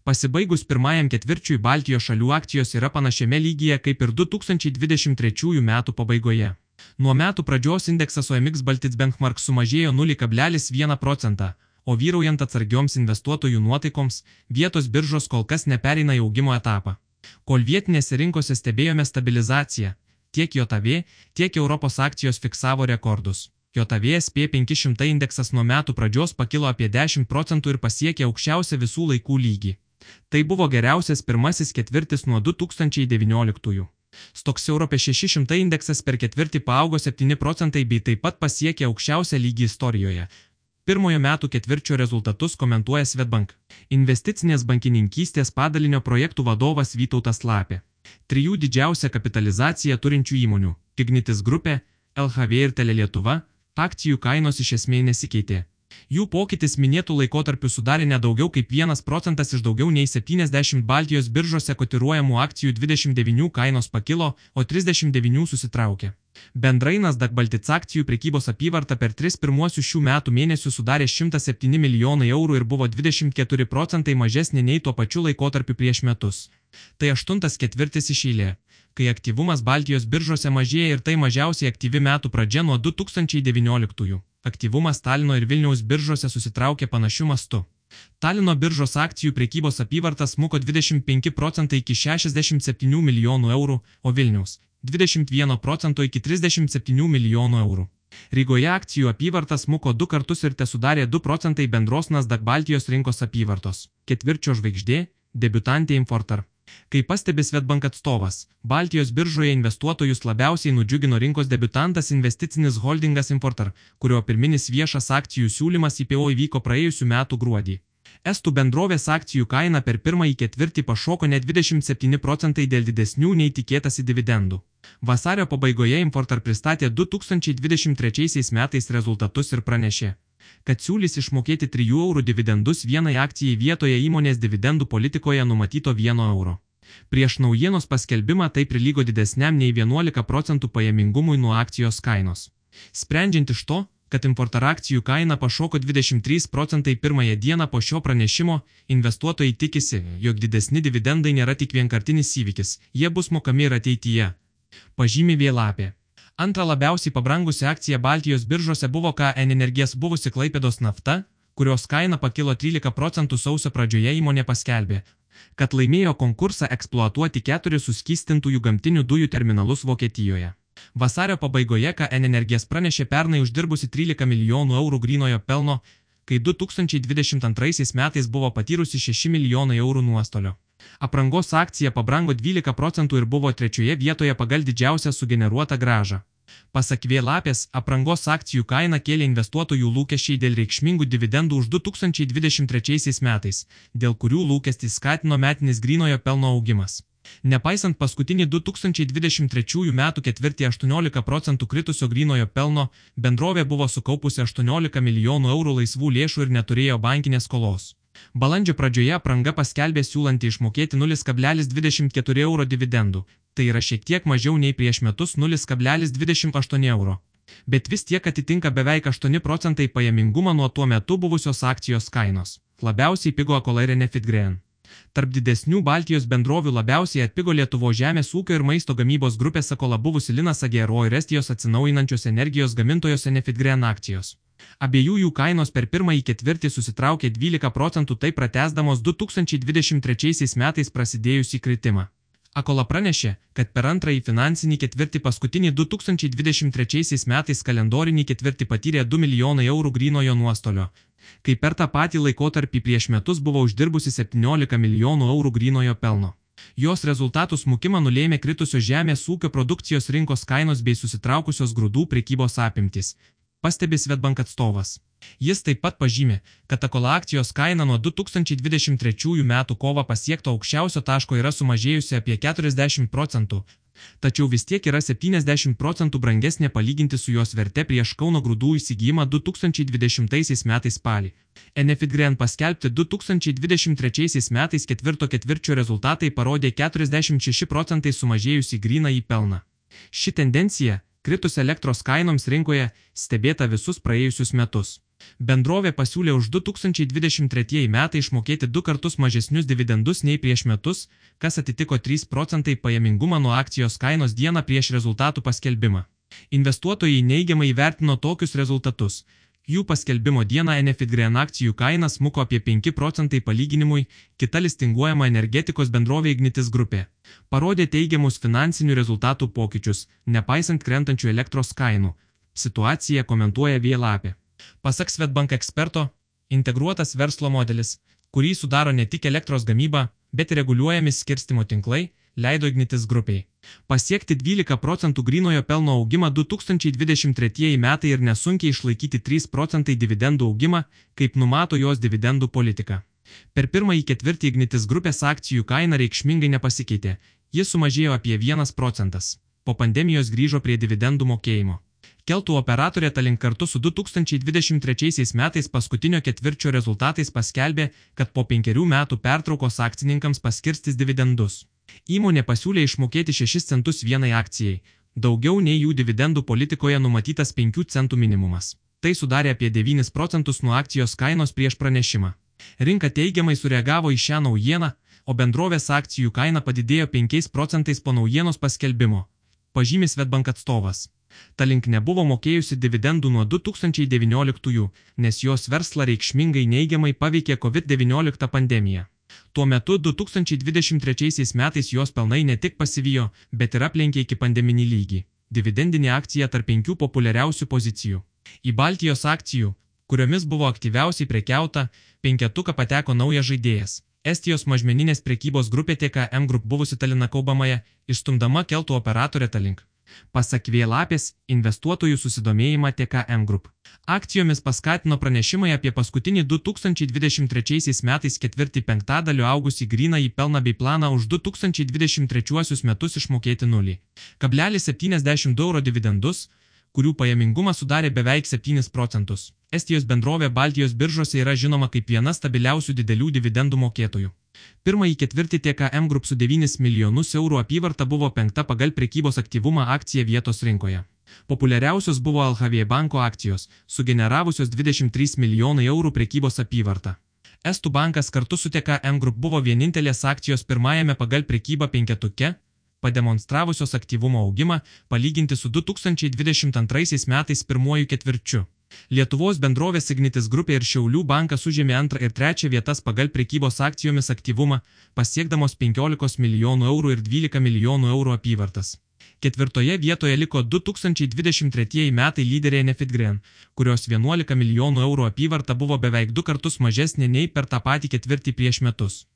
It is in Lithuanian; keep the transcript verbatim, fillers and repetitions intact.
Pasibaigus pirmajam ketvirčiui Baltijos šalių akcijos yra panašiame lygyje kaip ir du tūkstančiai dvidešimt trečiųjų metų pabaigoje. Nuo metų pradžios indeksas O M X Baltic Benchmark sumažėjo nulį kablelis vieną procentą, o vyraujant atsargioms investuotojų nuotaikoms, vietos biržos kol kas nepereina į augimo etapą. Kol vietinėse rinkose stebėjome stabilizaciją, tiek J A V, tiek Europos akcijos fiksavo rekordus. J A V S P penki šimtai indeksas nuo metų pradžios pakilo apie dešimt procentų ir pasiekė aukščiausią visų laikų lygį. Tai buvo geriausias pirmasis ketvirtis nuo du tūkstančiai devynioliktųjų. Stoxx Europe šeši šimtai indeksas per ketvirtį paaugo septyni procentai bei taip pat pasiekė aukščiausią lygį istorijoje. Pirmojo metų ketvirčio rezultatus komentuoja Swedbank investicinės bankininkystės padalinio projektų vadovas Vytautas Lapė. Trijų didžiausią kapitalizaciją turinčių įmonių – Ignitis grupė, L H V ir Telelietuva – akcijų kainos iš esmės nesikeitė. Jų pokytis minėtų laikotarpių sudarė nedaugiau kaip vienas procentas iš daugiau nei septyniasdešimt Baltijos biržose kotiruojamų akcijų dvidešimt devynių kainos pakilo, o trisdešimt devynių susitraukė. Bendrai Nasdaq Baltic akcijų prekybos apyvarta per tris pirmuosius šių metų mėnesius sudarė šimtą septyni milijonai eurų ir buvo dvidešimt keturi procentai mažesnė nei tuo pačiu laikotarpiu prieš metus. Tai aštuntas ketvirtis iš eilės, kai aktyvumas Baltijos biržose mažėja ir tai mažiausiai aktyvi metų pradžia nuo du tūkstančiai devynioliktųjų. Aktyvumas Talino ir Vilniaus biržose susitraukė panašiu mastu. Talino biržos akcijų prekybos apyvarta smuko dvidešimt penki procentai iki šešiasdešimt septynių milijonų eurų, o Vilniaus – dvidešimt vieno procento iki trisdešimt septynių milijonų eurų. Rygoje akcijų apyvarta smuko du kartus ir tesudarė du procentai bendros Nasdaq Baltijos rinkos apyvartos. Ketvirčio žvaigždė – debiutantė Infortar. Kaip pastebi Swedbank atstovas, Baltijos biržoje investuotojus labiausiai nudžiugino rinkos debiutantas investicinis holdingas Infortar, kurio pirminis viešas akcijų siūlymas I P O įvyko praėjusių metų gruodį. Estų bendrovės akcijų kaina per pirmąjį ketvirtį pašoko net dvidešimt septyni procentai dėl didesnių nei tikėtasi dividendų. Vasario pabaigoje Infortar pristatė du tūkstančiai dvidešimt trečiaisiais metais rezultatus ir pranešė, kad siūlys išmokėti trijų eurų dividendus vienai akcijai vietoje įmonės dividendų politikoje numatyto vieno euro. Prieš naujienos paskelbimą tai prilygo didesniam nei vienuolika procentų pajamingumui nuo akcijos kainos. Sprendžiant iš to, kad Infortar akcijų kaina pašoko dvidešimt trys procentai pirmąją dieną po šio pranešimo, investuotojai tikisi, jog didesni dividendai nėra tik vienkartinis įvykis, jie bus mokami ir ateityje. Pažymi Vėlapė. Antra labiausiai pabrangusi akcija Baltijos biržose buvo K N Energies buvusi Klaipėdos nafta, kurios kaina pakilo trylika procentų sausio pradžioje. Įmonė paskelbė, kad laimėjo konkursą eksploatuoti keturis suskystintųjų gamtinių dujų terminalus Vokietijoje. Vasario pabaigoje K N Energies pranešė pernai uždirbusi trylika milijonų eurų grynojo pelno, kai du tūkstančiai dvidešimt antraisiais metais buvo patyrusi šeši milijonai eurų nuostolio. Aprangos akcija pabrango dvylika procentų ir buvo trečioje vietoje pagal didžiausią sugeneruotą grąžą. Pasak Vėlapės, aprangos akcijų kaina kėlė investuotojų lūkesčiai dėl reikšmingų dividendų už du tūkstančiai dvidešimt trečiaisiais metais, dėl kurių lūkestį skatino metinis grynojo pelno augimas. Nepaisant paskutinį du tūkstančiai dvidešimt trečiųjų metų ketvirtį aštuoniolika procentų kritusio grynojo pelno, bendrovė buvo sukaupusi aštuoniolika milijonų eurų laisvų lėšų ir neturėjo bankinės skolos. Balandžio pradžioje apranga paskelbė siūlanti išmokėti nulis kablelis dvidešimt keturi euro dividendų, tai yra šiek tiek mažiau nei prieš metus nulis kablelis dvidešimt aštuoni euro. Bet vis tiek atitinka beveik aštuoni procentai pajamingumą nuo tuo metu buvusios akcijos kainos. Labiausiai pigo Akola ir Enefit Green. Tarp didesnių Baltijos bendrovių labiausiai atpigo Lietuvos žemės ūkio ir maisto gamybos grupės Akola buvusi Linas Agro ir Estijos atsinaujinančios energijos gamintojos Enefit Green akcijos. Abiejų jų kainos per pirmąjį ketvirtį susitraukė dvylika procentų, tai pratęsdamos du tūkstančiai dvidešimt trečiaisiais metais prasidėjusį kritimą. Akola pranešė, kad per antrąjį finansinį ketvirtį paskutinį du tūkstančiai dvidešimt trečiaisiais metais kalendorinį ketvirtį patyrė du milijonai eurų grynojo nuostolio, kai per tą patį laikotarpį prieš metus buvo uždirbusi septyniolika milijonų eurų grynojo pelno. Jos rezultatų smukimą nulėmė kritusios žemės ūkio produkcijos rinkos kainos bei susitraukusios grūdų prekybos apimtys, pastebi Swedbank atstovas. Jis taip pat pažymė, kad Akola akcijos kaina nuo du tūkstančiai dvidešimt trečiųjų metų kovą pasiekto aukščiausio taško yra sumažėjusi apie keturiasdešimt procentų, tačiau vis tiek yra septyniasdešimt procentų brangesnė palyginti su jos verte prieš Kauno grūdų įsigijimą du tūkstančiai dvidešimtaisiais metais spalį. Enefit Green paskelbti du tūkstančiai dvidešimt trečiaisiais metais ketvirto ketvirčio rezultatai parodė keturiasdešimt šeši procentai sumažėjusi grynąjį pelną. Ši tendencija, kritus elektros kainoms rinkoje, stebėta visus praėjusius metus. Bendrovė pasiūlė už du tūkstančiai dvidešimt tretieji metai išmokėti du kartus mažesnius dividendus nei prieš metus, kas atitiko trys procentai pajamingumą nuo akcijos kainos dieną prieš rezultatų paskelbimą. Investuotojai neigiamai įvertino tokius rezultatus. Jų paskelbimo dieną Enefitgreen akcijų kaina smuko apie penki procentai palyginimui, kita listinguojama energetikos bendrovė Ignitis grupė parodė teigiamus finansinių rezultatų pokyčius, nepaisant krentančių elektros kainų. Situaciją komentuoja Vėlapė. Pasak Swedbank eksperto, integruotas verslo modelis, kurį sudaro ne tik elektros gamyba, bet ir reguliuojami skirstymo tinklai, leido Ignitis grupiai pasiekti dvylika procentų grynojo pelno augimą du tūkstančiai dvidešimt tretieji metai ir nesunkiai išlaikyti trys procentai dividendų augimą, kaip numato jos dividendų politika. Per pirmąjį ketvirtį Ignitis grupės akcijų kaina reikšmingai nepasikeitė, jis sumažėjo apie vienas procentas. Po pandemijos grįžo prie dividendų mokėjimo. Keltų operatorė Tallink kartu su du tūkstančiai dvidešimt trečiaisiais metais paskutinio ketvirčio rezultatais paskelbė, kad po penkerių metų pertraukos akcininkams paskirstys dividendus. Įmonė pasiūlė išmokėti šešis centus vienai akcijai, daugiau nei jų dividendų politikoje numatytas penkių centų minimumas. Tai sudarė apie devynis procentus nuo akcijos kainos prieš pranešimą. Rinka teigiamai sureagavo į šią naujieną, o bendrovės akcijų kaina padidėjo penkiais procentais po naujienos paskelbimo, pažymi Swedbank atstovas. Tallink nebuvo mokėjusi dividendų nuo du tūkstančiai devynioliktųjų, nes jos verslą reikšmingai neigiamai paveikė COVID devyniolika pandemija. Tuo metu du tūkstančiai dvidešimt trečiaisiais metais jos pelnai ne tik pasivijo, bet ir aplenkė iki pandeminį lygį. Dividendinė akcija tarp penkių populiariausių pozicijų. Į Baltijos akcijų, kuriomis buvo aktyviausiai prekiauta, penketuką pateko naujas žaidėjas. Estijos mažmeninės prekybos grupė T K M Group buvusi Talina Kaubamaja, išstumdama keltų operatorę Tallink. Pasak Vėlapės, investuotojų susidomėjimą T K M Group akcijomis paskatino pranešimai apie paskutinį du tūkstančiai dvidešimt trečiaisiais metais ketvirtį penktadaliu augusį grynąjį pelną bei planą už du tūkstančiai dvidešimt trečiuosius metus išmokėti nulį kablelis septyniasdešimt du euro dividendus, kurių pajamingumas sudarė beveik septynis procentus. Estijos bendrovė Baltijos biržose yra žinoma kaip viena stabiliausių didelių dividendų mokėtojų. Pirmąjį ketvirtį T K M Group su devynis milijonus eurų apyvarta buvo penkta pagal prekybos aktyvumą akcija vietos rinkoje. Populiariausios buvo L H V banko akcijos, sugeneravusios dvidešimt trys milijonai eurų prekybos apyvartą. Estų bankas kartu su T K M Group buvo vienintelės akcijos pirmajame pagal prekybą penketuke, pademonstravusios aktyvumo augimą, palyginti su du tūkstančiai dvidešimt antraisiais metais pirmuoju ketvirčiu. Lietuvos bendrovės Ignitis grupė ir Šiaulių bankas užėmė antrą ir trečią vietas pagal prekybos akcijomis aktyvumą, pasiekdamos penkiolika milijonų eurų ir dvylika milijonų eurų apyvartas. Ketvirtoje vietoje liko du tūkstančiai dvidešimt tretieji metai lyderė Enefitgreen, kurios vienuolika milijonų eurų apyvarta buvo beveik du kartus mažesnė nei per tą patį ketvirtį prieš metus.